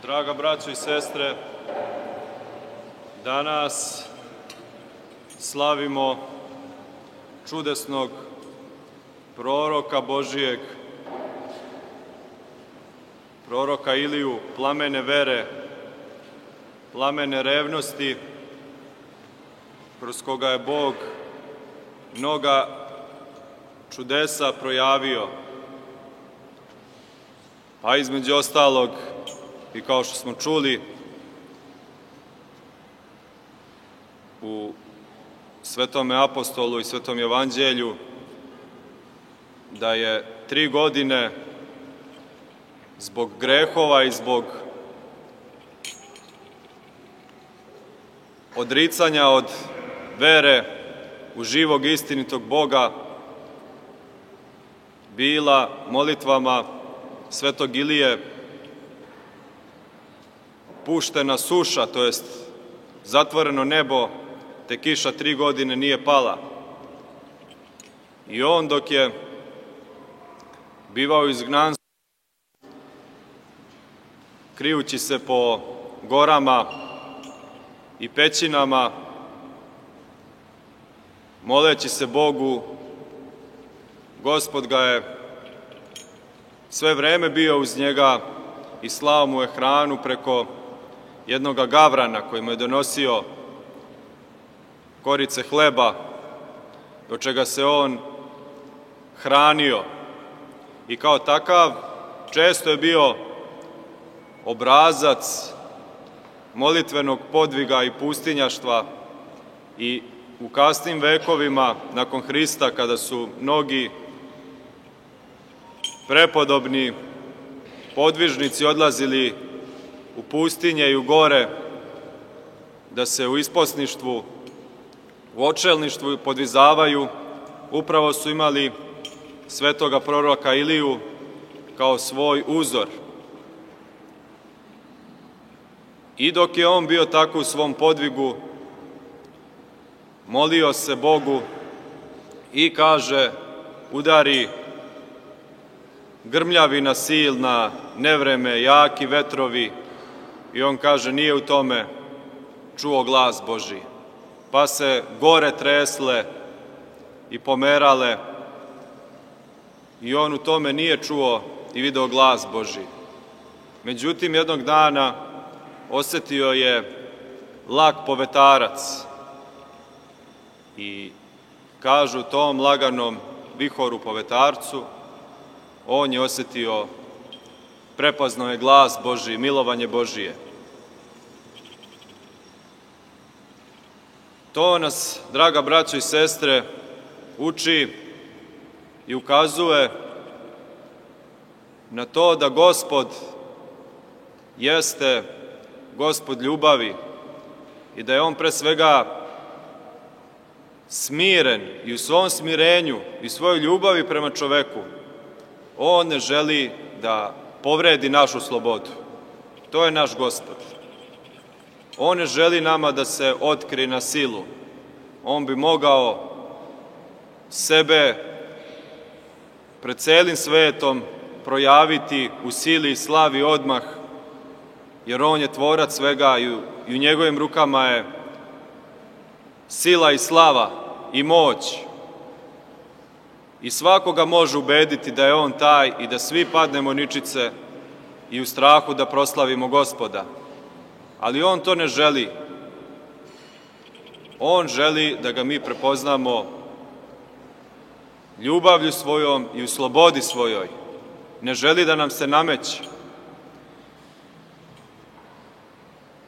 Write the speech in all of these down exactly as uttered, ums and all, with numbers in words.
Draga braćo i sestre, danas slavimo čudesnog proroka Božijeg, proroka Iliju, plamene vere, plamene revnosti, kroz koga je Bog mnoga čudesa projavio. A između ostalog, i kao što smo čuli u Svetome apostolu i Svetom evanđelju, da je tri godine zbog grehova i zbog odricanja od vere u živog i istinitog Boga bila molitvama Svetog Ilije puštena suša, to jest zatvoreno nebo, te kiša tri godine nije pala. I on, dok je bivao izgnanstvo, krijući se po gorama i pećinama, moleći se Bogu, Gospod ga je sve vreme bio uz njega i slao mu je hranu preko jednoga gavrana koji mu je donosio korice hleba, do čega se on hranio. I kao takav često je bio obrazac molitvenog podviga i pustinjaštva, i u kasnim vekovima nakon Hrista, kada su mnogi prepodobni podvižnici odlazili u pustinje i u gore da se u isposništvu, u očelništvu podvizavaju, upravo su imali svetoga proroka Iliju kao svoj uzor. I dok je on bio tako u svom podvigu, molio se Bogu i kaže, udari grmljavina silna, nevreme, jaki vetrovi, i on kaže, nije u tome čuo glas Božji. Pa se gore tresle i pomerale i on u tome nije čuo i video glas Božji. Međutim, jednog dana osetio je lag povetarac i kažu tom laganom vihoru povetarcu, on je osetio, prepoznao je glas Božji, milovanje Božije. To nas, draga braćo i sestre, uči i ukazuje na to da Gospod jeste Gospod ljubavi i da je on pre svega smiren i u svom smirenju i svojoj ljubavi prema čoveku on ne želi da povredi našu slobodu. To je naš Gospod. On ne želi nama da se otkrije na silu. On bi mogao sebe pred celim svetom projaviti u sili i slavi odmah, jer on je tvorac svega i u, i u njegovim rukama je sila i slava i moć. I svakoga može ubediti da je on taj i da svi padnemo ničice i u strahu da proslavimo Gospoda. Ali on to ne želi. On želi da ga mi prepoznamo ljubavlju svojom i u slobodi svojoj. Ne želi da nam se nameće.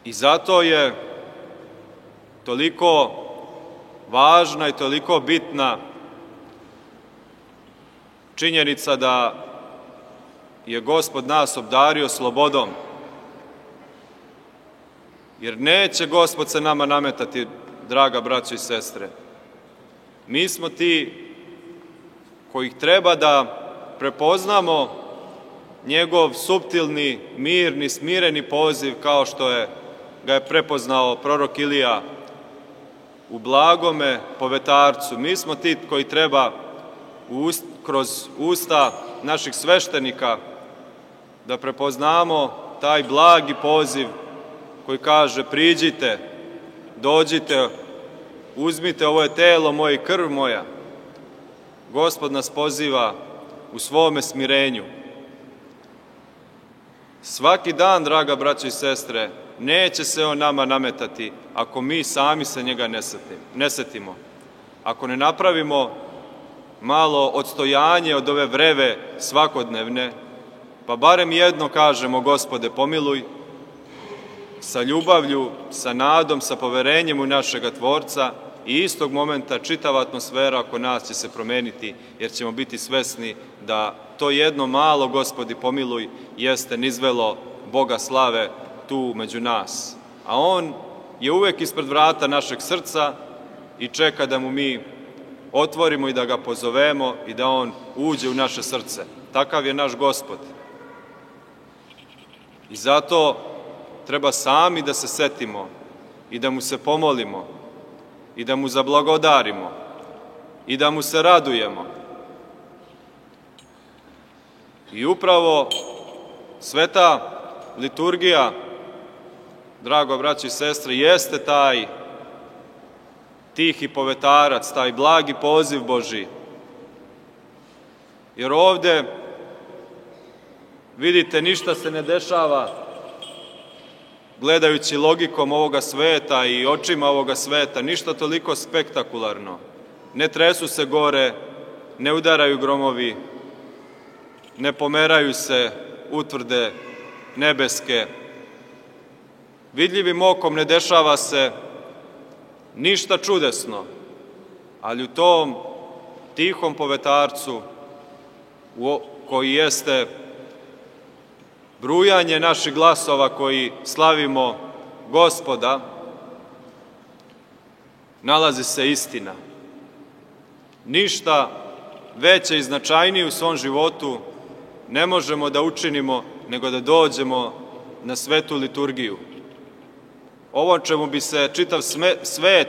I zato je toliko važna i toliko bitna činjenica da je Gospod nas obdario slobodom. Jer neće Gospod se nama nametati, draga braćo i sestre. Mi smo ti kojih treba da prepoznamo njegov suptilni, mirni, smireni poziv, kao što je ga je prepoznao prorok Ilija u blagome povetarcu. Mi smo ti koji treba kroz usta naših sveštenika da prepoznamo taj blagi poziv koji kaže priđite, dođite, uzmite, ovo je telo moje i krv moja. Gospod nas poziva u svome smirenju. Svaki dan, draga braćo i sestre, neće se on nama nametati ako mi sami se njega ne setimo. Ako ne napravimo malo odstojanje od ove vreve svakodnevne, pa barem jedno kažemo Gospode pomiluj, sa ljubavlju, sa nadom, sa poverenjem u našega Tvorca i istog momenta čitava atmosfera oko nas će se promeniti, jer ćemo biti svesni da to jedno malo Gospodi pomiluj jeste nizvelo Boga slave tu među nas. A On je uvek ispred vrata našeg srca i čeka da mu mi otvorimo i da ga pozovemo i da on uđe u naše srce. Takav je naš Gospod. I zato treba sami da se setimo i da mu se pomolimo i da mu zablagodarimo i da mu se radujemo. I upravo sveta liturgija, drago braći i sestre, jeste taj tihi povetarac, taj blagi poziv Božji. Jer ovde, vidite, ništa se ne dešava gledajući logikom ovoga sveta i očima ovoga sveta, ništa toliko spektakularno. Ne tresu se gore, ne udaraju gromovi, ne pomeraju se utvrde nebeske. Vidljivim okom ne dešava se ništa čudesno, ali u tom tihom povetarcu koji jeste brujanje naših glasova koji slavimo Gospoda, nalazi se istina. Ništa veće i značajnije u svom životu ne možemo da učinimo nego da dođemo na svetu liturgiju. Ovo čemu bi se čitav svet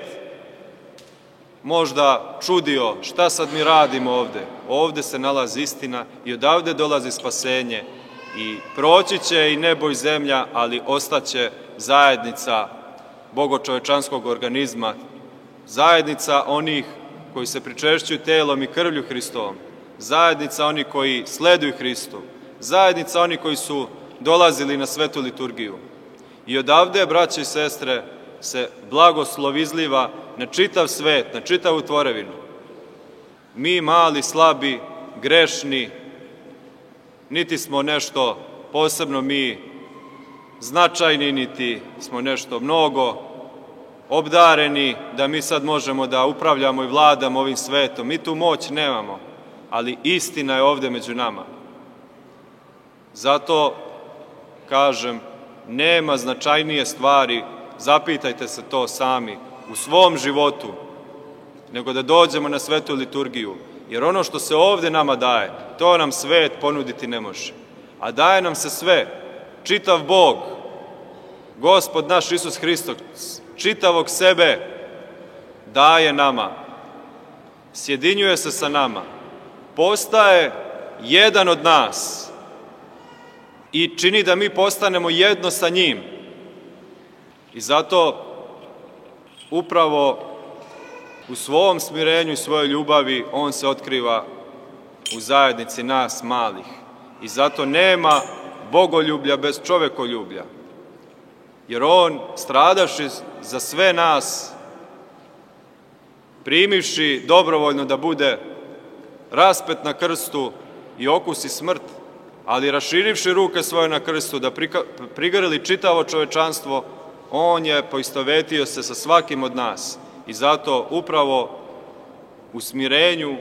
možda čudio, šta sad mi radimo ovde? Ovde se nalazi istina i odavde dolazi spasenje i proći će i nebo i zemlja, ali ostaće zajednica bogočovečanskog organizma, zajednica onih koji se pričešćuju telom i krvlju Hristovom, zajednica onih koji sleduju Hristu, zajednica onih koji su dolazili na svetu liturgiju. I odavde, braće i sestre, se blagoslov izliva na čitav svet, na čitavu tvorevinu. Mi, mali, slabi, grešni, niti smo nešto posebno mi značajni, niti smo nešto mnogo obdareni da mi sad možemo da upravljamo i vladamo ovim svetom. Mi tu moć nemamo, ali istina je ovde među nama. Zato kažem, nema značajnije stvari, zapitajte se to sami, u svom životu, nego da dođemo na svetu liturgiju. Jer ono što se ovde nama daje, to nam svet ponuditi ne može. A daje nam se sve, čitav Bog, Gospod naš Isus Hristos, čitavog sebe daje nama, sjedinjuje se sa nama, postaje jedan od nas i čini da mi postanemo jedno sa njim. I zato upravo u svom smirenju i svojoj ljubavi on se otkriva u zajednici nas malih. I zato nema bogoljublja bez čovekoljublja. Jer on, stradavši za sve nas, primivši dobrovoljno da bude raspet na krstu i okusi smrt, ali raširivši ruke svoje na krstu da prigrli čitavo čovečanstvo, on je poistovetio se sa svakim od nas. I zato upravo u smirenju,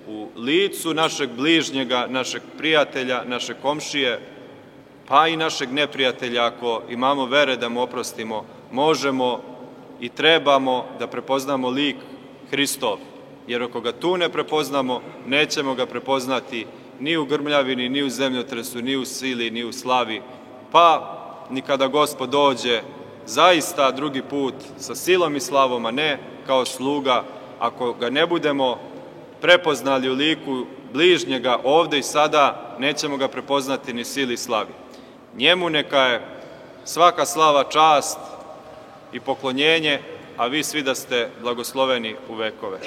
u licu našeg bližnjega, našeg prijatelja, našeg komšije, pa i našeg neprijatelja, ako imamo vere da mu oprostimo, možemo i trebamo da prepoznamo lik Hristov. Jer ako ga tu ne prepoznamo, nećemo ga prepoznati ni u grmljavini, ni u zemljotresu, ni u sili, ni u slavi, pa ni kada Gospod dođe zaista drugi put sa silom i slavom, a ne kao sluga, ako ga ne budemo prepoznali u liku bližnjega ovde i sada, nećemo ga prepoznati ni sili i slavi. Njemu neka je svaka slava, čast i poklonjenje, a vi svi da ste blagosloveni u vekove.